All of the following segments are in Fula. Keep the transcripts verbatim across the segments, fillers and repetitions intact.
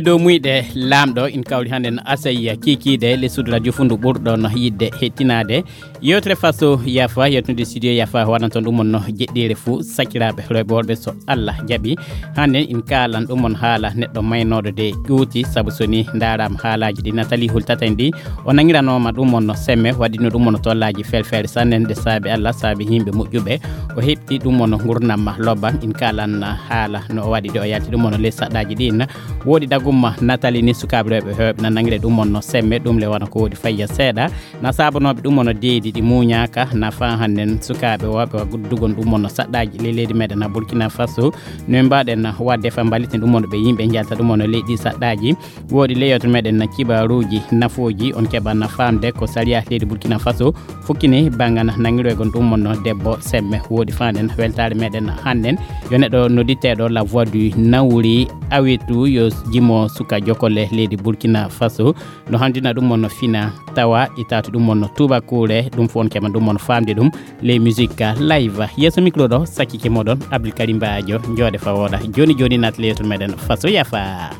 Dow muyɗe laamɗo, in kawri hannde no Asaya kiikiiɗe, lessude radio fundu ɓurɗo no yiɗde hettinaade. Yewtere Faso Yafa, yewtude studio Yafa, waɗan toon ɗum on no jeɗɗiire fuu, sakiraaɓe rewɓe worɓe, so Allah jaɓi. Hannde in kaalan ɗum on haala neɗɗo maynooɗo de ƴuuti, sabu so ni ndaaraama haalaaji ɗi Nathalie hultata en ɗi, o nangiranooma ɗum on no semme, waɗino ɗum on no tollaaji felfeere sanne, nde saabi Allah, saabi yimɓe moƴƴuɓe. O heɓti ɗum on no ngurnam ma lobban, in kaalan haala no o waɗi de o yalti ɗum on no les saɗɗaaji ɗin. Woodi dagumma Nathalie ni sukaaɓe rewɓe heewɓe na nangire ɗum on no semme, ɗum le wona ko woodi fayya seeɗa. Na saabanooɓe ɗum on no deedi ɗi muuñaaka, na faa hannden sukaaɓe wooɓe wa guddugon ɗum on no saɗɗaaji ley leydi meɗen na Burkina Faso. No en mbaɗen waɗde fa mbaliten ɗum on ɓe yimɓe njalta ɗum on no leydi saɗɗaaji. Woodi ley yewtere meɗen na kibaruuji nafooji, on keɓan na faamde ko sariya leydi Burkina Faso fukkini banngan nangiroygon ɗum on no debbo semme. Woodi faanden weltaare meɗen hannden yo neɗɗo nodditeeɗo La Voix du Naouri awetu yo jimo suka jokkole leydi Burkina Faso. No handina ɗum on no fina tawa itatu ɗum on no tubakuure, ɗum fof on keɓan ɗum on faamde ɗum les musique live. Yeeso micro ɗo sakkike moɗon Abdoul Karim Badio, jooɗe fa wooɗa. Jooni jooni naat le yewtere meɗen Faso Yafa.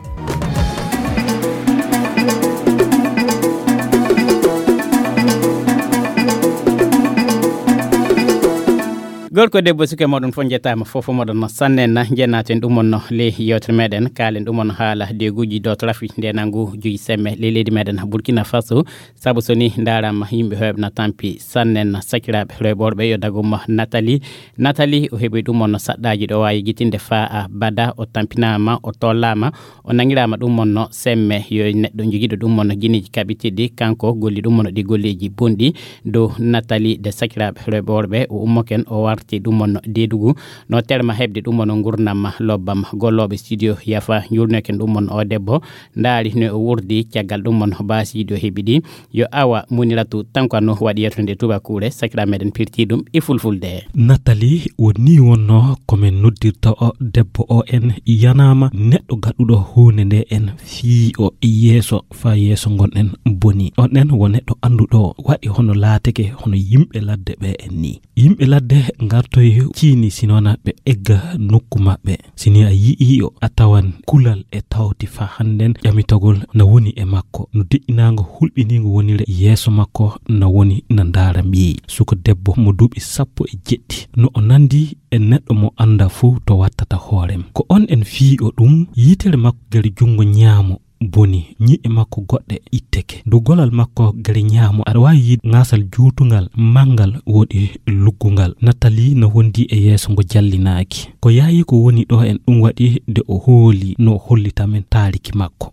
Gorko debbo suke moɗon fof njettaama, fof moɗon no sannen na, njennaten ɗum on no le yewtere meɗen, kaalen ɗum on haala deguji do trafic nde nangu juji semme le leydi meɗen Burkina Faso. Sabu so ni ndaaraama yimɓe heewɓe na tampi sannen na, sakiraaɓe rewɓe worɓe yo dagumma Nathalie. Nathalie o heɓi ɗum on no saɗɗaaji ɗo waawi yejjitinde faa a bada, o tampinaama, o tollaama, o nangiraama ɗum on no semme. Yo neɗɗo jogiiɗo ɗum on no gineeji kaɓitiɗi, kanko golli ɗum on no ɗi golleeji bonɗi dow Nathalie de sakiraaɓe rewɓe worɓe, o ummoken o warti ɗum on no deedugu, no terma heɓde ɗum on no ngurnam ma lobbam. Gollooɓe studio Yafa njuurnoken ɗum on o debbo, ndaari no o wurdi caggal ɗum on baasiiɗi o heɓi ɗi. Yo awa Muniratu Tankano waɗi yewtere nde tubakuure, sakiraaɓe meɗen pirti ɗum e fulfulde. Nathalie, o ni wonno ko men noddirta o debbo o en yanaama neɗɗo gaɗuɗo huunde nde en fii o yeeso, faa yeeso ngon en boni. On en wo neɗɗo annduɗo waɗi hono laateke hono yimɓe ladde ɓe en ni. Yimɓe ladde ngartoy ciini, si noon ɓe egga nokku maɓɓe. Si ni a yi'ii o, a tawan kulal e tawti fa hannden ƴamitagol na woni e makko. No deƴƴinaango hulɓiniingo wonire yeeso makko na woni na ndaara mbiyi. Suka debbo mo duuɓi sappo e jeɗɗi. No o nandi e neɗɗo mo annda fuu to wattata hoorem. Ko on en fii o ɗum, yitere makko gere junngo ñaamo boni, ñi'e makko goɗɗe itteke. Dow golal makko gere ñaamo, aɗa waawi yiide ŋaasal juutungal, manngal, woodi luggungal. Nathalie no wondi e yeeso ngo jallinaaki. Ko yaayi ko woni ɗo en ɗum waɗi nde o hooli no hollita men taariki makko.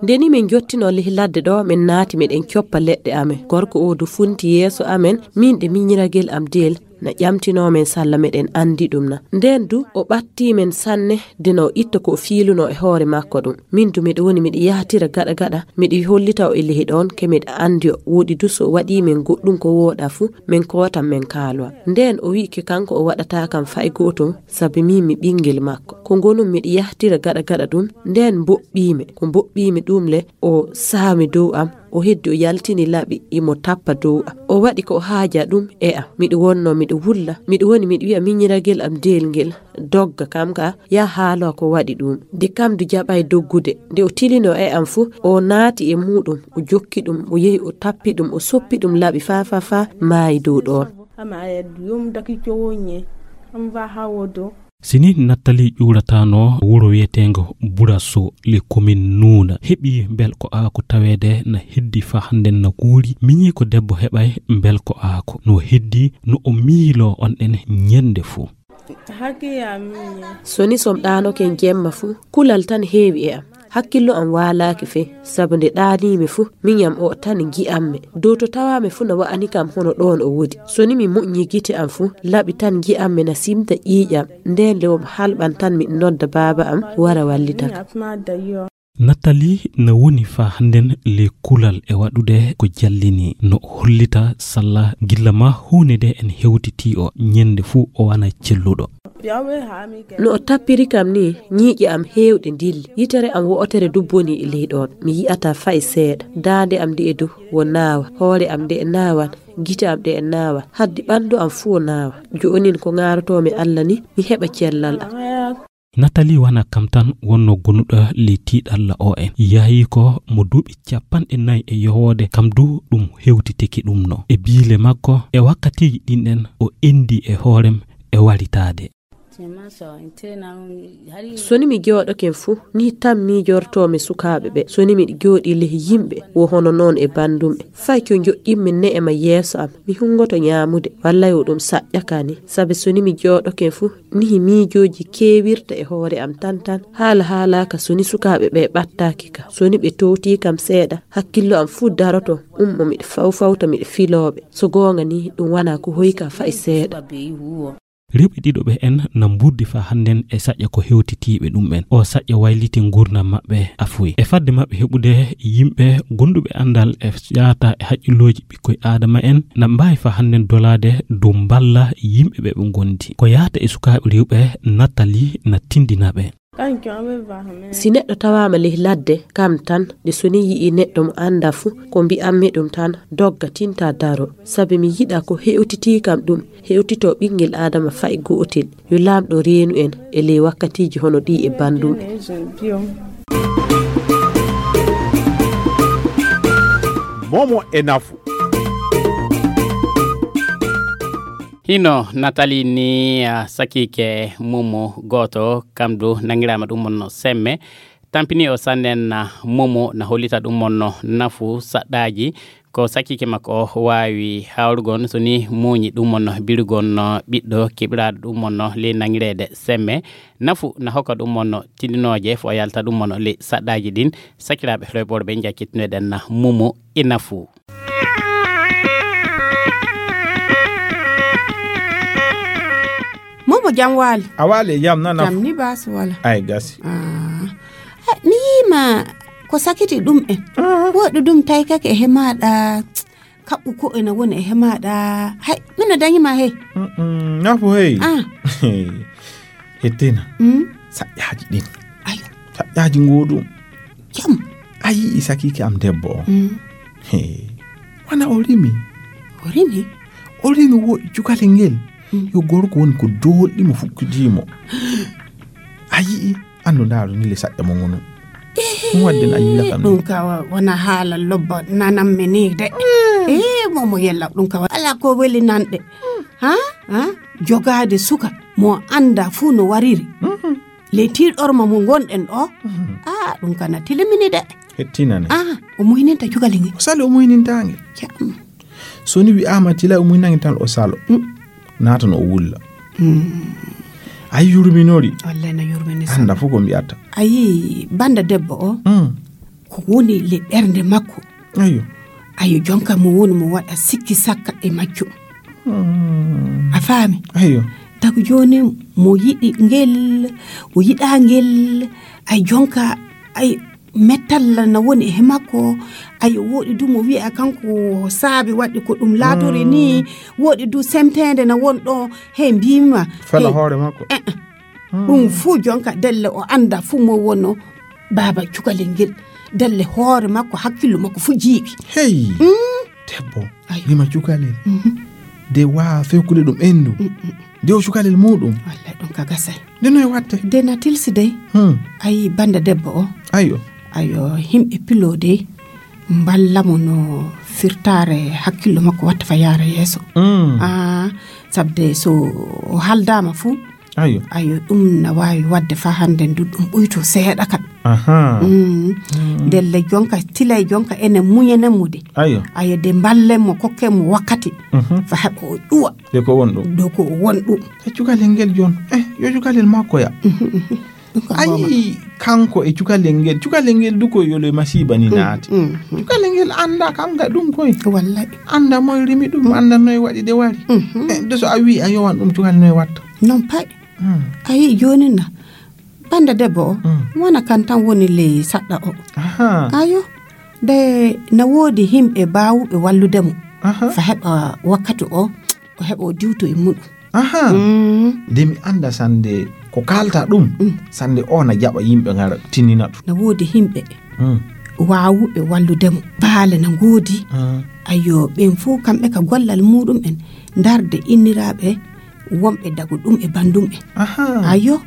Nde ni min njottinoo ley ladde ɗo, min naati miɗen coppa leɗɗe amen. Gorko o du funti yeeso amen, min ɗe miñiragel am deel, na ƴamtinoo men salla miɗen anndi ɗum na. Ndeen du o ɓattii men sanne, de no o itta ko o fiilunoo e hoore makko ɗum. Min du miɗo woni miɗo yahtira gaɗa gaɗa, miɗo hollita o e lehi ɗoon, ke miɗo anndi o. Woodi du so o waɗii men goɗɗum ko wooɗaa fu, min kootan min kaalowa. Ndeen o wi'i ke kanko o waɗataa kam fay gootum, sabi min mi ɓinngel makko. Ko ngonum miɗo yahtira gaɗa gaɗa ɗum, ndeen mboɓɓii mi. Ko mboɓɓii mi ɗum le, o saami dow am, o heddi o yaltini laɓi, imo tappa dow am. O waɗi ko o haaja ɗum e am. Miɗo wonno miɗo wulla, miɗo woni miɗo wi'a miñiragel am deel ngel dogga, kam ka ya haalo ko waɗi ɗum. De kam du jaɓay doggude. Nde o tilino e am fu, o naati e muɗum, o jokki ɗum, o yehi o tappi ɗum, o soppi ɗum laɓi fa, fa, fa, maayi dow ɗoon. Ama yaddu yom daki cowo nye. Am va hawo do. Sini Nathalie ƴuuratano wuro wiyeteengo Buraso, le commune Nuuna. Heɓi mbel ko aako taweede na heddi fa hannden na kuuri. Miñi ko debbo heɓay mbel ko aako. No heddi no o miiloo on ɗen ñennde fuu. Hake ya miñe. So ni som ɗaanoke jemma fuu, kulal tan heewi e am. Hakkillo am waalaaki fey, sabu nde ɗaaniimi fu, miñam o tan ngi'ammi. Dow to tawaami fu na wa'ani kam hono ɗoon o woodi. So ni mi moƴƴi gite am fu, laɓi tan ngi'ammi na simta ƴiiƴam. Ndeen le wo halɓan tan miɗo nodda baaba am wara wallita kam. Nathalie na woni faa hannden le kulal e waɗude ko jallini. No hollita salla gilla ma huunde nde en hewtitii o, ñennde fuu o wana celluɗo. No o tappiri kam ni, ñiiƴe am heewɗe ndilli. Yitere am wo'otere du boni e ley ɗoon. Mi yi'ataa fay seeɗa. Daande am nde'e du wo naawa. Hoore am nde'e naawan. Gite am ɗe'e naawan. Haddi ɓanndu am fuu wo naawa. Jo'onin ko ŋaarotoomi Alla ni, mi heɓa cellal am. Natali wana kam tan wonno gonuɗo ley tiiɗalla o en. Yahi ko mo duuɓi capanɗe nayi e yowoode, kam du ɗum hewtiteki ɗum no. E biile makko, e wakkatiiji ɗin ɗen, o endi e hoorem e waritaade. So ni mi jooɗoken fu, ni tan miijortoo mi sukaaɓe ɓe. So ni miɗo jooɗii ley yimɓe, wo hono noon e banndum ɓe. Fay ko njoƴƴimmi ne'e ma yeeso am, mi hunngoto ñaamude, walla yo ɗum saƴƴa ka ni. Sabi so ni mi jooɗoken fu, nihi miijooji keewirta e hoore am tan tan. Haala haalaaka so ni sukaaɓe ɓe ɓattaaki ka. So ni ɓe towtii kam seeɗa, hakkillo am fuu daroto, ummo miɗo fawfawta miɗo filooɓe. So goonga ni, ɗum wanaa ko hoyka fay seeɗa. Rewɓe ɗiɗo ɓe en na mburdi faa hannden e saƴƴa ko hewtitiiɓe ɗum en. O saƴƴa wayliti nguurndam maɓɓe afuy. E fadde maɓɓe heɓude yimɓe gonduɓe anndal e yaata e haqqillooji ɓikkoy Aadama en, na mbaawi faa hannden dolaade dow mballa yimɓe ɓe ɓe ngondi. Ko yaata e sukaaɓe rewɓe Natali na tindina ɓe. Si neɗɗo tawaama ley ladde, kam tan, de so ni yi'ii neɗɗo mo anndaa fu, ko mbi'ammi ɗum tan, dogga, tinta, daro. Sabi mi yiɗaa ko hewtitii kam ɗum, hewtitoo ɓinngel Aadama fay gootel. Yo Laamɗo reenu en e ley wakkatiiji hono ɗii e banndum en. Momo e nafu. Hino Natali ni, ah, sakiike Momo gooto, kam du nangiraama ɗum on no semme. Tampini o sannen, ah, Momo na hollita ɗum on no nafu saɗɗaaji. Ko sakiike makko o waawi hawrugol so ni muuñi ɗum on no birugol no ɓiɗɗo keɓiraaɗo ɗum on no ley nangireede semme. Nafu na hokka ɗum on no tindinooje fo yalta ɗum on no ley saɗɗaaji ɗin. Sakiraaɓe rewɓe worɓe, njakkitinoɗen na Momo e nafu. Momo, jam waali? A waali e jam, nana. Jam ni, baasi wala? Ay, gasi. Ah. Eh, mi yiima ko sakiti ɗum en. Ah. Woɗɗi ɗum taykake e hemaaɗa, kaɓɓu ko ena woni e hemaaɗa. Hay, mino dañi ma hey. Mm, mm, nafu hey. Ah. Hettina. Mm? Saƴƴaaji ɗin. Ayo. Saƴƴaaji ngoo ɗum. Jam. A yi'i sakiike am debbo o? Mm. He. Wana o rimi. O rimi? O rimi wo cukale ngel. Mm. Yo gorko woni ko doolɗi mo fukkidii mo. A yi'i? Anndu ndaaru ni le saƴƴa mo ngonu. Ɗum wadde na yiila kam ni. Ɗum ka wa-, wona haala lobba nanammi ni de. Mm. Eh, Momo yella ɗum ka wa-, ala ko weli nanɗe. Mm. Ha? Ha? Jogaade suka mo annda fuu no wariri. Mm. Ley tiiɗorma mo ngonɗen ɗo. Mm. Ah, ɗum kana tilimini de. Hettinane. Ah, o muhininta cukalel ngel. O sali o muhininta ngel. Jam. So ni wi'aama tila o muhinange tan o salo. Mm. Naata no o wulla. Mm. A yurminori. Wallay no yurmini sa. Annda fof ko mbi'ata. A yii bannda debbo o. Mm. Ko woni le ɓernde makko. Ayo. Ayo, jonka mo woni mo waɗa sikki sakka e majjo. Mm. A faami? Ayo. Tagu jooni mo yiɗi ngel, o yiɗaa ngel, ay jonka, ay mettalla na woni e makko. Ayo, woɗi du mo wi'a kanko saabi waɗi ko ɗum laatori ni. Mm. Woɗi du semteende na won ɗo, he mbimi ma. Fela he hoore makko. Eh, eh. Mm. Ɗum fuu jonka delle o annda fuu mo wonno baaba cukalel ngel. Delle hoore makko, hakkillo makko fuu jiiɓi. Hey! Mm. Debbo, ayo, rima cukalel. Mhm. De waa fewkude ɗum enndu. Mm, mm. De o cukalel muɗum. Wallay ɗum ka gasay. De noy watte? De na tilsi dey. Hmm. Ayi bannda debbo o. Ayo. Ayo, himɓe pilo dey mballa mo no firtaare hakkillo makko watta fa yaara yeeso. Mm. Ah, sabde so o haldaama fuu, ayo, ayo, ɗum na waawi waɗde faa hannde ndu ɗum ɓuyto seeɗa kan. Aha. Mm. Mm. Ndelle jonka, tilay jonka enen muñenen mo de. Ayo. Ayo, de mballen mo, kokken mo wakkati. Mhm. Fa heɓa o ƴuwa. De ko won ɗum. Ɗo ko o won ɗum. E cukalel ngel jon. Eh, yo cukalel makko ya. Mhm, mhm. Ɗum ko a yii kanko e cukalel ngel. Cukalel ngel du ko yolo e masiiba ni, mm, naati. Mm, mm. Cukalel ngel annda kam ga ɗum koy. Wallay. Annda moy rimi ɗum, annda noy waɗi de wari. Mhm. Eh, de so a wii a yowan ɗum cukalel noy watta. Non pay. Hmm. A yii jooni na, bannda debbo o, hmm, wona kan tan woni ley saɗɗa o. Aha. Ayo, de na woodi himɓe baawuɓe wallude mo. Aha. Fa heɓa wakkati o, o heɓa o diwto e muɗum. Aha. Hmm. De mi annda sannde ko kaalta ɗum, hmm, sannde o na jaɓa yimɓe ngara tinina ɗum. Na woodi himɓe, hmm, waawuɓe wallude mo. Baale na ngoodi. Hmm. Ayo, ɓen fof kamɓe ka gollal muɗum en, ndarde inniraaɓe wonɓe dagu ɗum e banndum en. Aha. Ayo,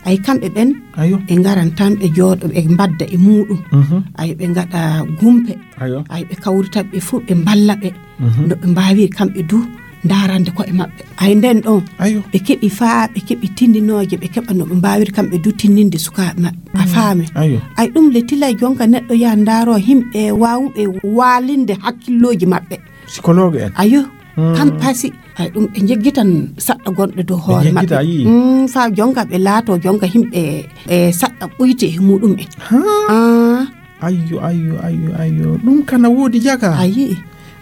Ay, kamɓe ɓen, ayo, ɓe ngaran tan, ɓe jooɗo, ɓe mbadda e muuɗum. Mhm. Ay, ɓe ngaɗa gumpe. Ayo. Ay, ɓe kawrita ɓe fof, ɓe mballa ɓe. Mhm. No ɓe mbaawiri kamɓe du, ndaarande koye maɓɓe. Ay, nden ɗon, ayo, ɓe keɓi faa, ɓe keɓi tindinooje, ɓe keɓa no ɓe mbaawiri kamɓe du tindinde sukaaɓe maɓɓe. A, mhm, faami? Ayo. Ay, ɗum le tilay jonka neɗɗo yaha ndaaroo himɓe waawuɓe waalinde hakkillooji maɓɓe. Psychologue en. Ayo. Hmm. Kam pasi. Ay, ɗum ɓe njeggitan saɗɗa gonɗo dow hoore maɓɓe. Ɓe njeggita, a yii? Mm, faa jonka ɓe laatoo jonka himɓe, e, saɗɗa ɓuyte e muɗum en. Ha? Ah. Ayyo, ayyo, ayyo, ayyo. Ɗum kana woodi jaga. A yii?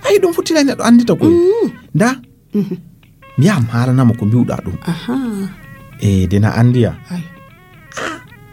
Ay, ɗum fof tilay neɗɗo anndita koy. Mm. Nda? Mhm. Mi yaha mi haalanamo ko mbiwɗaa ɗum. Aha. E, dena anndiya. Ay.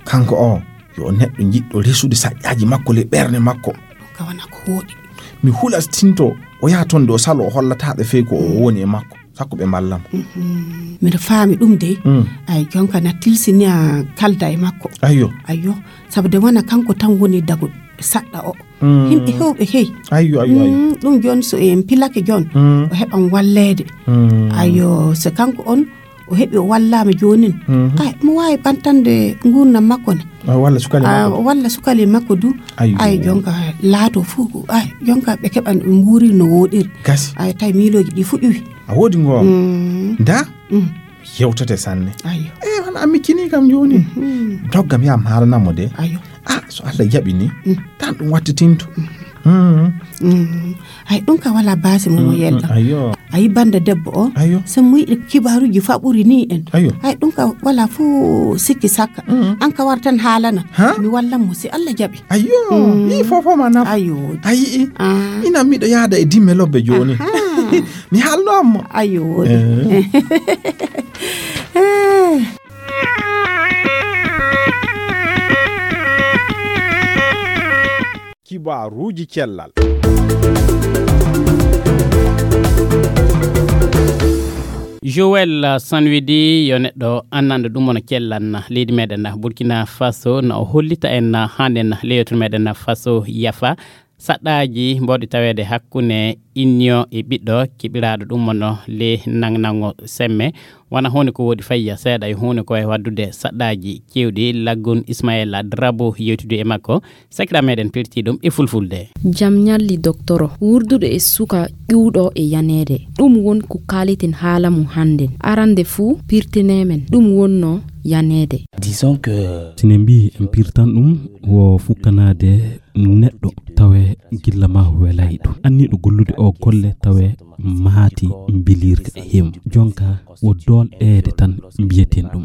Kanko o, yo neɗɗo jiɗɗo resude saƴƴaaji makko le ɓernde makko. Ɗum ka wona ko wooɗi. Mi hulastinto, o yaha toon de o saloo, o hollataaɓe fey ko o, mm, woni e makko. Sakko ɓe mballam. Mhm. Miɗo faami ɗum de. Mm. Ay, jonka na tilsini a kalda e makko. Ayyo. Ayyo. Sabu de wona kanko tan woni dago saɗɗa o. Mm. Yimɓe heewɓe hey. Ayyo, ayyo, ayyo. Mm, ɗum jooni so en pilake jooni, mm, o heɓan walleede. Mm. Ayyo, so kanko on, o heɓi o wallaama joonin. Mhm. Ay, mo waawi ɓantande nguurndam makko ne. Ah, walla sukali, ah, makko. Walla sukali makko du. Ayyo. Ay, jonka laato fuu, ay, jonka ɓe keɓan ɓe nguuri no wooɗiri. Gasi. Ay, tawi miilooji ɗi fuu ƴuwi. A woodi ngo. Mm. Nda? Mm. Yewtete sanne. Ayyo. Eh, hono a miccini kam jooni. Mhm. Doggam yaha mi haalanamo de. Ayyo. Ah, so Allah jaɓi ni, mm, tan ɗum wattitinto. Mm. Mm. Mm. Ay, ɗum ka wala baasi mo, mm, mo yelɗa. Mm, ayyo. Ayi bannde debbo o, ayyo, so mo yiɗi kibaaruuji faɓuri ni en. Ayyo. Ay, ɗum ka wala fuu sikki sakka. Mm. An ka wartan haalana. Ha? Mi wallan mo si Allah jaɓi. Ayyo, mm, yi fofo ma nafa. Ayyo. Ayi, ah, ina miɗo yaada e dimme lobbe jooni. Aha. Mi haalno amma. Ayyo. Eh. Eh. Kibaaruuji cellal. Joël Sanwidi, yo neɗɗo annanɗo ɗum wona cellan leydi meɗen Burkina Faso, na o hollita en hannde leydi meɗen Faso yafa saɗɗaaji mbawɗi taweede hakkunde inniyo e ɓiɗɗo keɓiraaɗo ɗum wonno le nangnango semme. Wona huunde ko woodi fayya seeɗa e huunde ko e waɗdude saɗɗaaji keewɗi. Laggun Ismaila Drabo yewtidi e makko, sakira meɗen pirti ɗum e fulfulde. Jam ñalli doktoro, wurdude e suka ƴuwɗo e yaneede. Ɗum won ko kaaliten haala mum hannden. Arande fuu, pirtene men, ɗum wonno yaneede. Disons que si ne mbiyi en pirtan ɗum, wo fukkanaade neɗɗo tawe gilla ma welay ɗum. Anniiɗo gollude o golle tawe maati mbilirka e him. Jonka wo doolɗeede tan mbiyeten ɗum.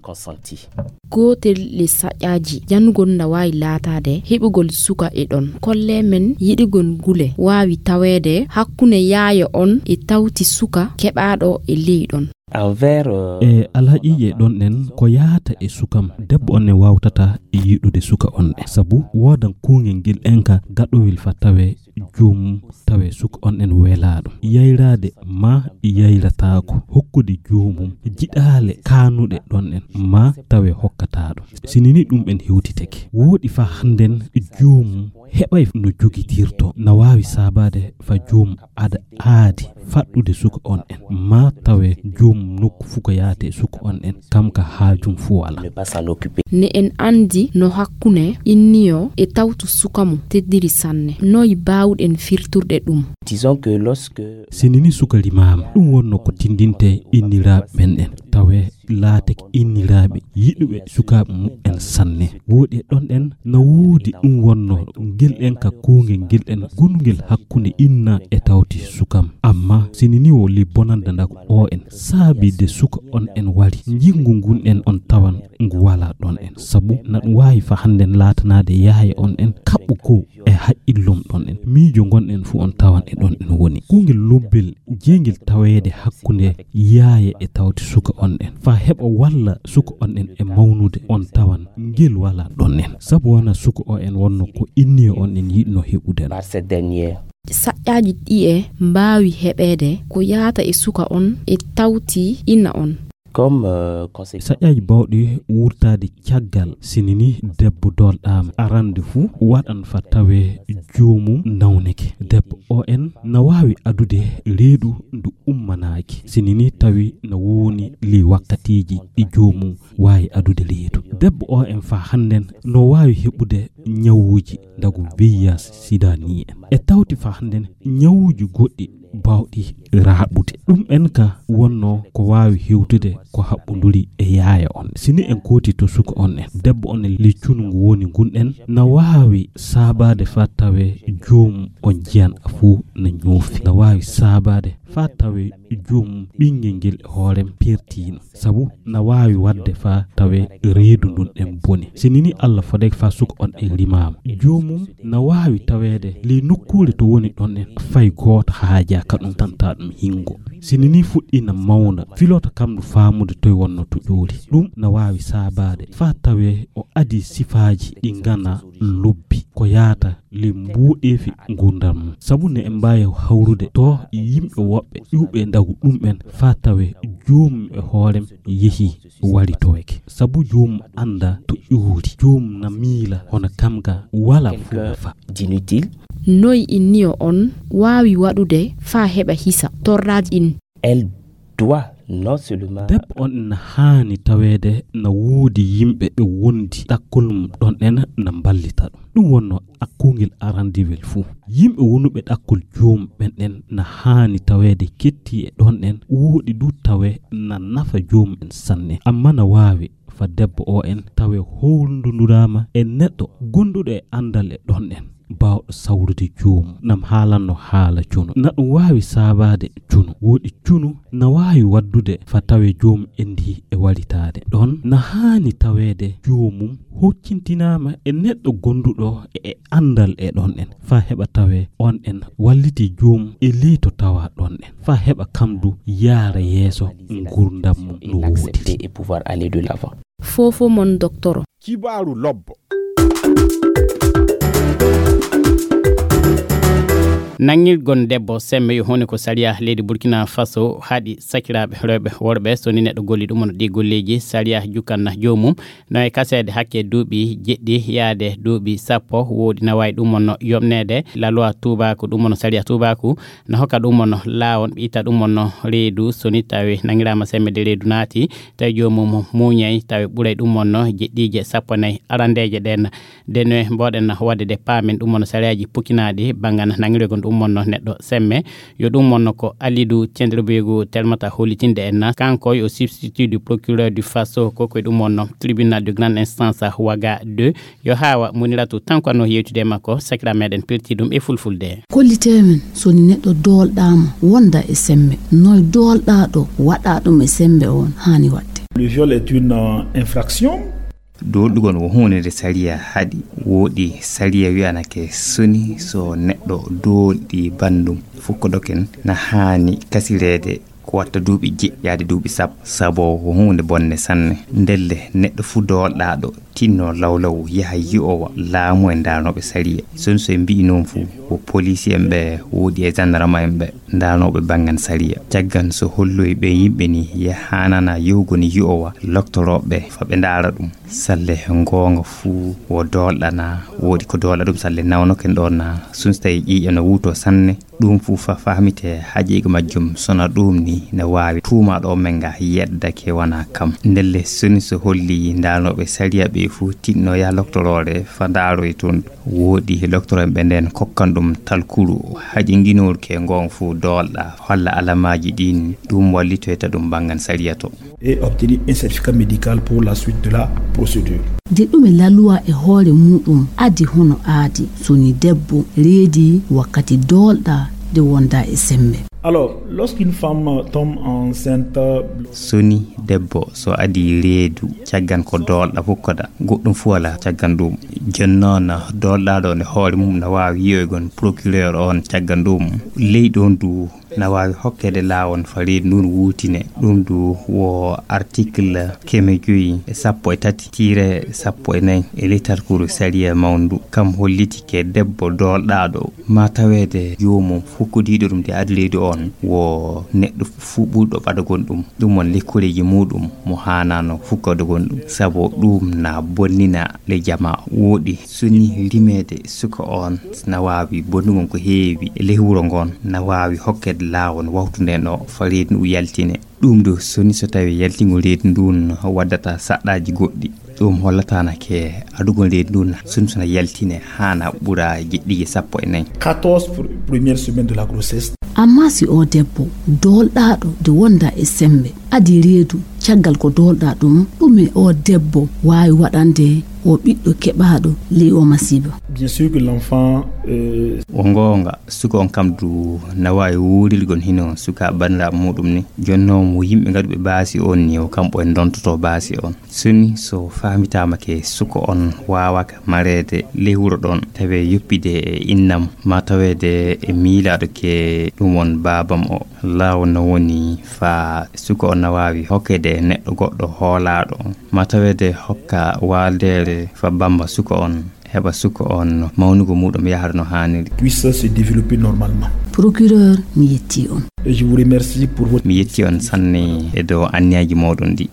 Gootel le saƴƴaaji janugol na waawi laataade heɓugol suka e ɗon. Kolle men yiɗugol ngule waawi taweede hakkunde yaaya on e tawti suka keɓaaɗo e ley ɗon. Envers, euh, e alhaqiiqe ɗon ɗen ko yaata e sukam, debbo on ne waawtata yiɗude suka on ɗen. Sabu woodan kuungel ngel en ka gaɗowel fa tawe joomum, tawe suka on ɗen welaaɗo. Yayraade ma yayrataako, hokkude joomum jiɗaale kaanuɗe ɗon ɗen ma tawe hokkataaɗo. Sinini ɗum en hewtitake. Wooɗi fa hannden joomum heɓay no jogitirto, na waawi saabaade fa joomum ada aadi faɗɗude suka on en, ma tawe joom nokku fuu ko yaate suka on en, kam ka haajum fuu wala. Ne pas s'en occuper. Ne en anndi no hakkunde inniyo e tawtu suka mum teddiri sanne. Noy baawɗen firturde ɗum? Disons que lorsque sinini suka limaama, ɗum wonno ko tindinte inniraaɓe ɓen ɗen. Tawe laatake inniraaɓe yiɗuɓe sukaaɓe muɓɓen sanne. Wooɗi e ɗon ɗen na woodi ɗum wonno ngel ɗen ka kuungel ngel ɗen gonungel hakkunde inna e tawti sukam. Amma sini ni wo li bonanda nda ko o en saabi de suka on en wari. Njingu ngun en on tawan ngu wala ɗon en. Sabu na ɗum waawi fa hannden laatanaade yaaya on en kaɓɓu ko e haqqillom ɗon en. Miijo ngon en fu on tawan e ɗon en woni. Kungel lobbel jeengel taweede hakkunde yaaya e tawti suka on en. Fa heɓa walla suka on en e mawnude on tawan ngel wala ɗon en. Sabu wana suka o en wonno ko inniyo on en yiɗno heɓude. Par cette dernière. Saƴƴaaji ɗi'e mbaawi heɓeede ko yaata e suka on e tawti ina on. Comme, euh, conséquence. Saƴƴaaji baawɗi wurtaade caggal, sini ni debbo doolɗaama, arande fuu waɗan fa tawe joomum nawnike. Debbo o en na waawi adude reedu ndu ummanaani. Taki, sini ni tawi no woni ley wakkatiiji ɗi joomum waawi adude reedu. Debbo o en faa hannden no waawi heɓude ñawuuji ndagu V I H sida ni en. E tawti faa hannden ñawuuji goɗɗi baawɗi raaɓude. Ɗum en ka wonno ko waawi hewtude ko haɓɓunduri e yaaya on. Sini en kooti to suka on en. Debbo on en ley cunu ngu woni ngun en na waawi saabaade faa tawe joomum on jiyan a fuu na ñoofi. Na waawi saabaade faa tawe joomum ɓinngel ngel e hoorem pertiino. Sabu na waawi waɗde faa tawe reedu ndun en boni. Sini ni Alla fodek faa suka on en rimaama. Joomum na waawi taweede ley nokkuure to woni ɗon en fay gooto haajaa ka ɗum tanta ɗum hingo. Sini ni fuɗɗi na mawna, filota kam ndu faamude toy wonno to ƴuuri. Ɗum na waawi saabaade faa tawe o adii sifaaji ɗi ngana lobbi ko yaata ley mbuuɗeefi ngurndan mum. Sabu ne en mbaawi hawrude to yimɓe woɓɓe ƴuuɓe ndagu ɗum en faa tawe joomum e hoorem yehi wari toweke. Sabu joomum annda to ƴuuri. Joomum na miila hono kam ga wala fuu nafa. D'inutile. Noy inniyo on waawi waɗude faa heɓa hisa torraaji ɗin? Elle doit non seulement. Debbo on na haani taweede na woodi yimɓe ɓe wondi ɗakkol mum ɗon en na mballita ɗum. Ɗum wonno ɗakkungel arandiwel fuu. Yimɓe wonuɓe ɗakkol joomum ɓen en na haani taweede ketti e ɗon en, woodi du tawe na nafa joomum en sanne. Amma na waawi faa debbo o en tawe howlunduraama e neɗɗo gonduɗo e andal e ɗon en, baawɗo sawrude joomum, nam haalanno haala cunu. Na ɗum waawi saabaade cunu. Woodi cunu na waawi waddude faa tawe joomum endi e walitaade. Ɗon na haani taweede joomum hoccintinaama e neɗɗo gonduɗo e andal e ɗon en, faa heɓa tawe on en walliti joomum e ley to tawa ɗon en, faa heɓa kam du yaara yeeso ngurndan mum no woodiri. Accepter et pouvoir aller de l'avant. Fofo mon doktoro. Kibaaru lobbo. Nanngirgol debbo semme yo huunde ko sariya leydi Burkina Faso haɗi sakiraaɓe rewɓe worɓe. So ni neɗɗo golli ɗum on ɗi golleeji, sariya jukkanna joomum no e kaseede hakke duuɓi jeɗɗi yaade duuɓi sappo. Woodi na waawi ɗum on no yoɓneede. La loi tuubaaku ɗum on no sariya tuubaaku no hokka ɗum on no laawol ɓe itta ɗum on no reedu. So ni tawi nanngiraama semme de reedu naati, tawi joomum muuñay, tawi ɓuray ɗum on no jeɗɗiije sappo nayi arandeeje ɗen. De no mboɗen waɗde de paamen ɗum on no sariyaaji pukkinaaɗi banngal nanngirgol ɗum on no neɗɗo semme. Yo ɗum on no ko Alidu Cenderbegu telmata hollitinde en na. Kanko yo substitut du procureur du Faso, ko koye ɗum on no tribunal de grande instance Waga deux. Yo haawa Muniratu Tanko no yewtude e makko, sakira meɗen pelti ɗum e fulfulde. Kollitee men, so ni neɗɗo doolɗaama, wonda e semme. Noy doolɗaaɗo waɗa ɗum e semme on haani waɗde? Le viol est une, euh, infraction. Doolɗugol wo huunde nde sariya haɗi. Woodi sariya wi'anake soni so neɗɗo doolɗi banndum fukkodoken na haani kasireede ko watta duuɓi jeɗɗi yaade duuɓi sappo, sabo ko huunde bonde sanne. Ndelle neɗɗo fuu doolɗaaɗo tinno lawlaw yaha yi'owa laamu e ndaarnooɓe sariya. Soni so en mbi'i noon fuu, wo poliisi en ɓe woodi e jandarma en ɓe ndaarnooɓe banngan sariya. Caggan so holloyi ɓe yimɓe ni yahanana yowgo ni yi'owa loktorooɓe fa ɓe ndaara ɗum. Salle goonga fuu wo doolɗana, woodi ko doolɗa ɗum salle nawnoken ɗoon na. Soni so tawi ƴiiƴam no wuuto sanne, ɗum fuu fa fahmite haqiiqa majjum. Sona ɗum ni ne waawi tuumaaɗo men nga yeddake wona kam. Ndelle soni so holli ndaarnooɓe sariya ɓe fuu tinno yaha loktoroore fa ndaaroy toon. Woodi loktoro en ɓe ndeen kokkan ɗum talkuru haqiiqinooru ke ngoon fuu doolɗa holla alamaaji ɗiin, ɗum wallitoyta ɗum banngan sariya to. Et obtenir un certificat médical pour la suite de la procédure. De ɗume laluwa e hoore muɗum adi hono aadi soni debbo reedi wakkati doolɗa de wonda e sembe? Alors, lorsqu'une femme tombe enceinte, soni debbo so adi reedu caggan ko doolɗa fukkoda, goɗɗum fuu alaa caggan ɗum. Jooni noon doolɗaaɗo ne hoore mum na waawi yi'oygon procureur on caggan ɗum. Ley ɗoon du na waawi hokkeede laawol fa reedu ndun wuutine. Ɗum du wo article keme joyi e sappo e tati tiire sappo e nayi e ley talkuru sariya mawndu. Kam hollitike debbo doolɗaaɗo ma taweede joomum fukkodiiɗo ɗum de adi reedu on wo neɗɗo fuu ɓurɗo ɓadagol ɗum. Ɗum won lekkoreeji muuɗum mo haanaano fukkodogol ɗum, sabo ɗum na bonnina ley jamaa. Wooɗi soni rimeede suka on na waawi bonnugol ko heewi e ley wuro ngon, na waawi hokkeede Laawol wawtu nden ɗo fa reedu ndu yaltine. Ɗum ɗo soni so tawi yaltingol reedu ndun waddata saɗɗaaji goɗɗi. Ɗum hollataanake adugol reedu ndun soni sona yaltine haana ɓura jeɗɗi sappo e nayi. Quatorze pr- premières semaines de la grossesse. Amma si o debbo doolɗaaɗo nde wonda e sembe adi reedu, caggal ko doolɗa ɗum, ɗume o debbo waawi waɗande o ɓiɗɗo keɓaaɗo ley o masiiba? Bien sûr que l'enfant, euh, O goonga, suka on kam du na waawi wuurilgol hino suka banndiraaɓe muɗum ni. Jonno mo yimɓe ngaɗuɓe baasi on ni, o kamɓe en dontoto baasi on. Soni so faamitaama ke suka on waawaka mareede ley wuro ɗon, tawe yoppide e innam, ma taweede e miilaaɗo ke ɗum on baabam o. Laawol no woni fa suka on na waawi hokkede neɗɗo goɗɗo hoolaaɗo, ma taweede hokka waaldeere fa bamba suka on, heɓa suka on mawnugo muɗum yahra no haaniri. Puisse se développer normalement. Procureur, mi yetti on. Et je vous remercie pour votre Mi yetti on sanne e dow anniyaaji moɗon ɗi.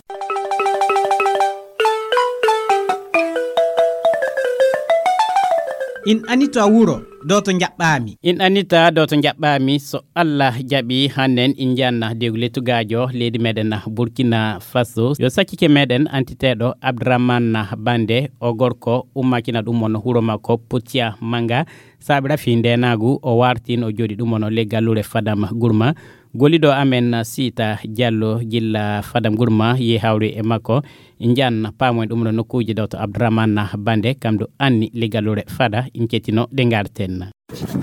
In anita wuro dow to njaɓɓaami. In anita dow to njaɓɓaami. So Allah jaɓi, hannen in njanna dewgu lettugaajo leydi meɗen Burkina Faso. Yo sakkike meɗen antiteeɗo Abdourahmane Bande, o gorko ummakina ɗum on wuro makko Putia Manga. Saabe rafi ndenaagu o wartin o jooɗi ɗum on le gallure Fadam Gourma. Golliɗo amen Siita Diallo gilla Fadam Gourma yi hawri e makko. Njan paamoy ɗum ɗo nokkuuji ɗo to Abdourahmane Bande, kam ɗo anni liggalore fada in kettino ɗe ngarten.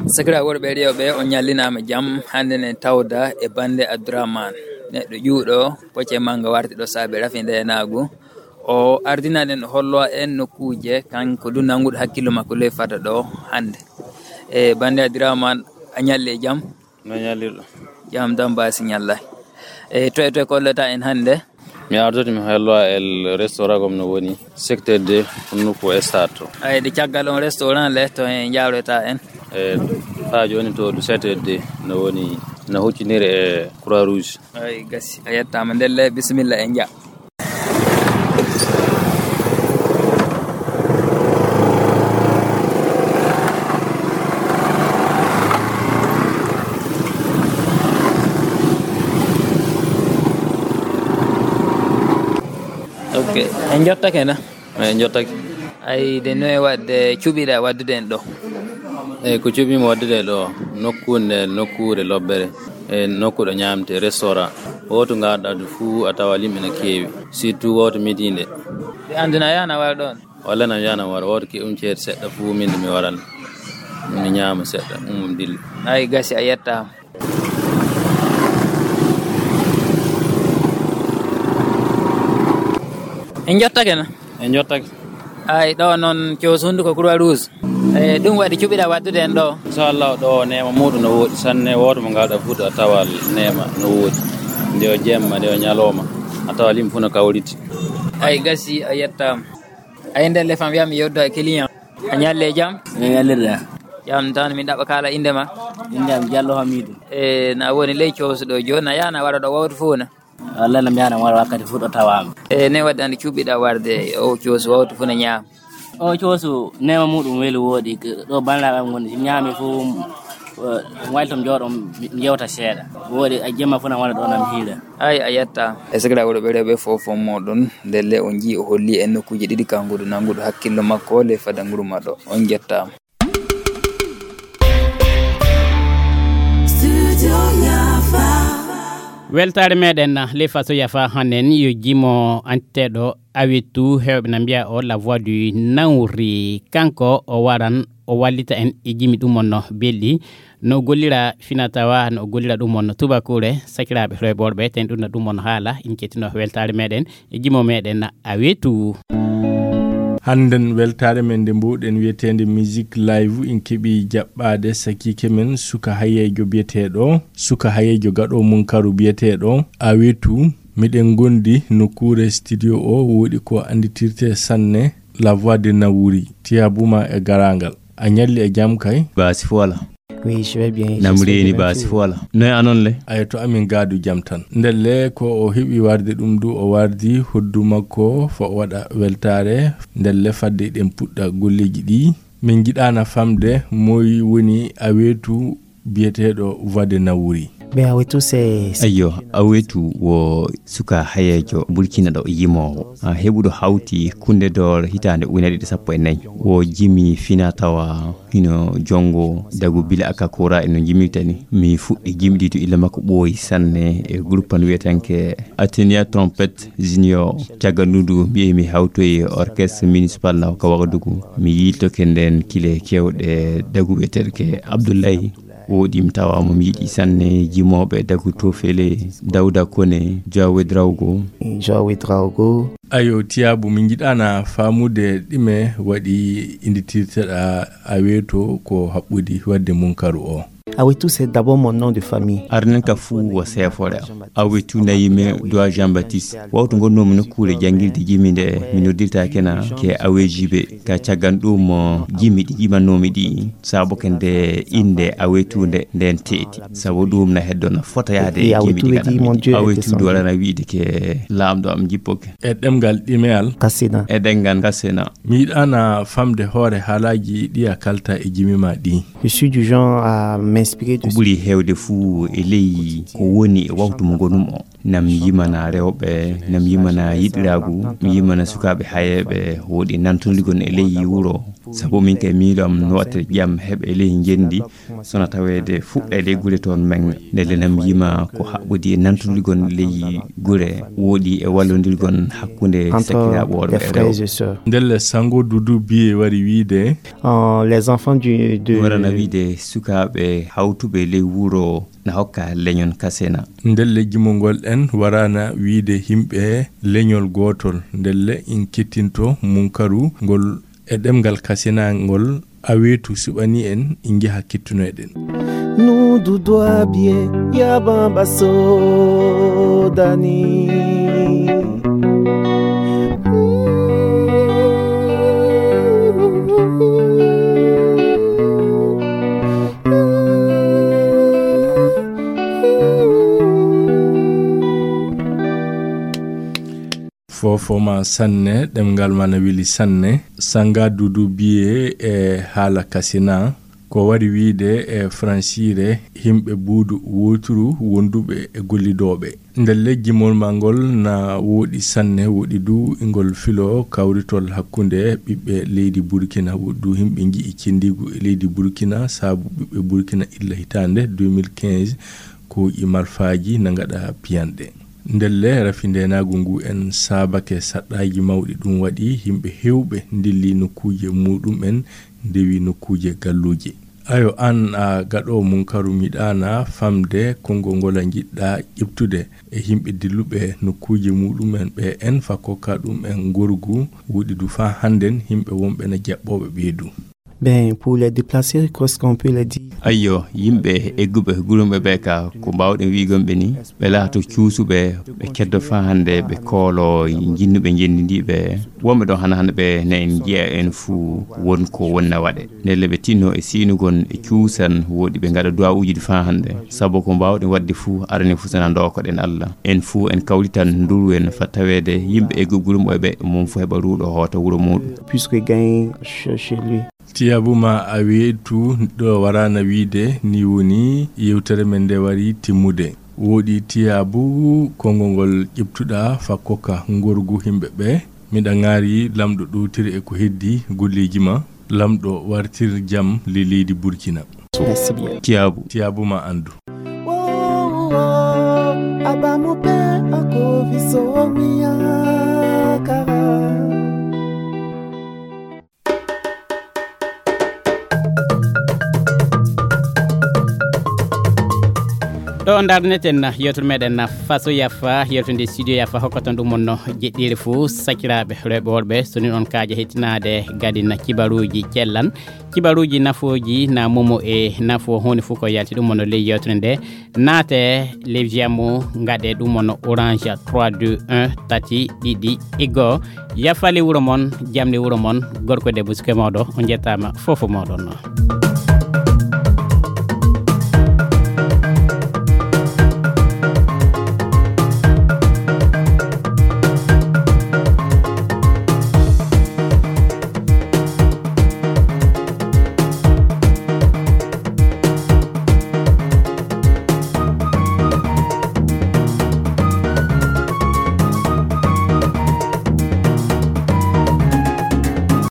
Sakira worɓe rewɓe, on ñallinaama jam. Hannde ne tawda e Bande Abdourahmane, neɗɗo ƴuuɗo, pocce mannga warti ɗo saabe rafi ndeenaagu. O ardina ɗen hollo en nokkuuje, kanko du nannguɗo hakkillo makko ley fada ɗo hannde. E Bande Abdourahmane, a ñalli e jam? No ñallirɗo? Jam dam baasi ñalla. E toye toye kollata en hannde? Mi ardoto mi hollo el restaurant gom no woni secteur deux, nokku stade to. Ay, de caggal on restaurant le to en jawreta en? E fa jooni to du sept heures deux no woni, no hucciniri e Croix Rouge. Ay, gasi, a yettaama. Ndelle, bisimilla, en nja. Ok, en jottake na? En jottake. Ay, de noye waɗde cuɓiɗa waɗdude en ɗo? Eyi, ko cuɓiimi waɗdude ɗo, nokkuure nde, nokkuure lobbere, e nokku ɗo ñaamte, restaurant. Wooto ngarɗa ɗo fuu, a tawa yimɓe no keewi, surtout wooto midi nde. Ɓe anndina yana wara ɗoon? Walla na yana wara, wooto ke um ceede seɗɗa fuu, min de mi waran, mi ñaama seɗɗa, um dilla. Ay, gasi, a yettaama. En jottake na? En jottake. Ay, ɗo noon coosundu ko Croix Rouge. E, ɗum waɗi cuɓiɗa waɗdude en ɗo? Inchallah, ɗo neema muɗum no woɗi sanne. Wooto mo ngalɗa fuɗo a tawa neema no woɗi. Nde o jemma, nde o ñalawma, a tawa yimɓe fof no kawriti. Ay, gasi, a yettaama. Ay, ndelle fam wiya mi yewta e client. A ñalle jam? Min ñallirɗa. Jam tan, min ɗaɓɓa kala innde ma? Innde am Diallo Hamidou. E, na woni ley coosu ɗo jooni, na yana wara ɗo wawtu fof na? Wallay, na mi yana wara wakkati fof ɗo tawaama. E, ne waɗi andi cuɓiɗa warde o coosu wawtu fof na ñaama? O coosu neema muɗum weli woɗi, ɗo banndiraaɓe am ngoni, si mi ñaami fof, eh, wayli to mi jooɗo, mi jewta seeɗa. Woɗi, a jemma fof na wara ɗo na mi hiira. Ay, a yetta. E sikira wuro ɓe rewɓe fof fof moɗon, ndelle on njii o holli en nokkuuje ɗiɗi kanguɗo nanguɗo hakkillo makko le fada nguru maɗo. On jettaama. Weltaare meɗen le faso yafa hannen yo jimo anteɗo awitu hewɓe na mbiya o la voix du Naouri. Kanko o waran o wallita en e jimi ɗum on no belɗi. No gollira fina tawa no gollira ɗum on no tubakure. Sakiraaɓe rewɓe worɓe, ten ɗum no ɗum on haala, in kettino weltaare meɗen e jimo meɗen a wetu. Hannden weltaare men nde mbuuɗen wiyeteende Musique Live, in keɓi jaɓɓaade sakiike men suka hayeejo biyeteeɗo, suka hayeejo gaɗo munkaru biyeteeɗo a wetu. Miɗen ngondi nokkuure studio o woɗi ko annditirte sanne La Voix de Naouri. Tiyabuma e garaangal. A ñalli e jam kay? Baasi fo wala. Oui, je vais bien. Nam reeni baasi fo wala? Noy anon le? Ay, to amin gaadu jam tan. Ndelle ko o heɓi warde ɗum du, o wardi hoddu makko fo o waɗa weltaare. Ndelle fadde eɗen puɗɗa golleeji ɗi. Min njiɗaana famde moy woni a weetu biyeteeɗo Voix de Naouri. Ɓe Awetu se. Ayyo, Awetu wo suka hayeejo Burkina ɗo yimoowo. A heɓuɗo hawti kunde doole hitaande ujunere ɗiɗi sappo e nayi. Wo jimi fina tawa hino jongo dagu bila aka kora e no jimita ni. Mi fuɗɗi jimɗi to illa makko ɓooyi sanne e groupe an wiyetenke Atenia Trompette Junior. Caggal ndu ndu mbiye mi hawtoyi orchestre municipal na ka Wagadugu. Mi yiltoke nden kile kewɗe dagu wiyeteɗo ke Abdullahi. Woɗi mi tawa mo mi yiɗi sanne jimooɓe dagu Tofele, Dawda Kone, Jawe Drawgo. Jawe Drawgo. Ayo, Tiyaabu, min njiɗaana faamude ɗime waɗi innditirteɗa Awetu ko haɓɓudi waɗde Munkaru o. Awetu, c'est d'abord mon nom de famille. Arnen ka fuu wo seefoore am. Awetu nayi me Doa Jean Baptiste. Wawtu ngonnoomi nokkuure janngirde jimi nde mi noddirtaake na ke Awejibe. Ka caggal ɗum, jimi ɗi jimannoomi ɗi. Sabu ke nde innde Awetu nde nden teeti. Sabu ɗum na heddo na fota yaade e jimi ɗi nganndumi. Awetu du waɗana wiide ke laamɗo am jippoke. E ɗemngal ɗimeyal. Kasina. E ɗemngal Kasina. Mi yiɗaana famde hoore haalaaji ɗi a kalta e jimi ma ɗi. Je suis du genre à m'inspirer de. Ko ɓuri heewde fuu e ley ko woni e wawtu mo ngonum o. Nam yimana rewɓe, nam yimana yiɗiraagu, mi yimana sukaaɓe hayeeɓe, woɗi nantondigon e ley wuro. Sabu min kay miilo am no waɗte jam heɓe e ley ngenndi, sona taweede fuɗɗa e ley gure toon men. Ndelle nam yima ko haɓɓodi e nantondigon ley gure, woɗi e wallondirgon hakkunde sakiraaɓe worɓe e rewɓe. Ndelle Sango Dudu Biye wari wiide. Euh, les enfants du, de. Warana wiide sukaaɓe hawtuɓe ley wuro na hokka leñol Kasina. Ndelle jimongol en warana wiide yimɓe leñol gootol. Ndelle in kettinto Munkaru ngol e ɗemngal Kasina ngol Awetu suɓani en, in njaha kettunoyɗen. Nudu dwabie ya bamba sodani. Foofo ma sanne, ɗemngal ma na weli sanne. Sanga Dudu Biye e haala Kasina, ko wari wiide e fransiire, yimɓe buudu wooturu wonduɓe e gollidooɓe. Ndelle jimol ma ngol na woɗi sanne, woɗi du ngol filo kawritol hakkunde ɓiɓɓe leydi Burkina, woɗi du yimɓe nji'i cendiigu e leydi Burkina, sabu ɓiɓɓe Burkina illa hitaande deux mille quinze ko e malfaaji na ngaɗa piyanɗe. Ndelle rafi ndeenaagu ngu en saabake saɗɗaaji mawɗi, ɗum waɗi yimɓe heewɓe ndilli nokkuuje muuɗum'en, ndewi nokkuuje galluuje. Ayo, aan a gaɗoowo Munkaru, mi yiɗaana famde konngol ngol a njiɗɗaa ƴeftude e yimɓe dilluɓe nokkuuje muuɗum'en ɓe en, fa kokka ɗum'en ngorgu, woɗi du faa hannden yimɓe wonɓe na jaɓɓooɓe ɓee du. Ben, pour les déplacer, qu'est-ce qu'on peut les dire? Ayyo, yimɓe egguɓe gurumɓe ɓe ka, ko mbaawɗen wiigon ɓe ni, ɓe laato cuusuɓe, ɓe keddo faa hannde, ɓe koolo jinnuɓe njenndi ndi ɓe. Wonɓe ɗon hana hannde ɓe ne en njiya en fuu won ko wonna waɗe. Ndelle ɓe tinno e sinugon e cuusan, woɗi ɓe ngaɗa duwawuuji ɗi faa hannde. Sabu ko mbaawɗen waɗde fuu, arani fuu sana ndookoɗen Allah. En fuu en kawritan nduru en fa taweede yimɓe egguɓe gurumɓe ɓe, mum fuu heɓa ruuɗo hoota wuro muuɗum. Puisque gagne chez chez lui. Tiyaabu ma Awetu ɗo waraana wiide, ni woni yewtere men nde wari timmude. Woɗi Tiyaabu, konngol ngol ƴeftuɗaa fa kokka ngorgu yimɓe ɓe. Miɗa ŋaari Laamɗo ɗowtiri e ko heddi golleeji ma. Laamɗo wartir jam ley leydi Burkina. Merci bien. Tiyaabu. Tiyaabu ma anndu. Wo, wo, wo, abamu pe akoviso miakara. Ɗo ndarneten yewtere meɗen Faso Yafa, yewtude studio Yafa, hokkaton ɗum on no jeɗɗiire fuu, sakiraaɓe rewɓe worɓe, so ni on kaaja hettinaade gadin kibaruuji cellan, kibaruuji nafooji na momo e nafo huunde fuu ko yalti ɗum on no ley yewtere nde. Naate ley Viamo, ngaɗe ɗum on no Orange trois deux un tati ɗiɗi e goo. Yafali wuro mon, jamni wuro mon, gorko e debbo, suka e mawɗo, on njettaama fof moɗon.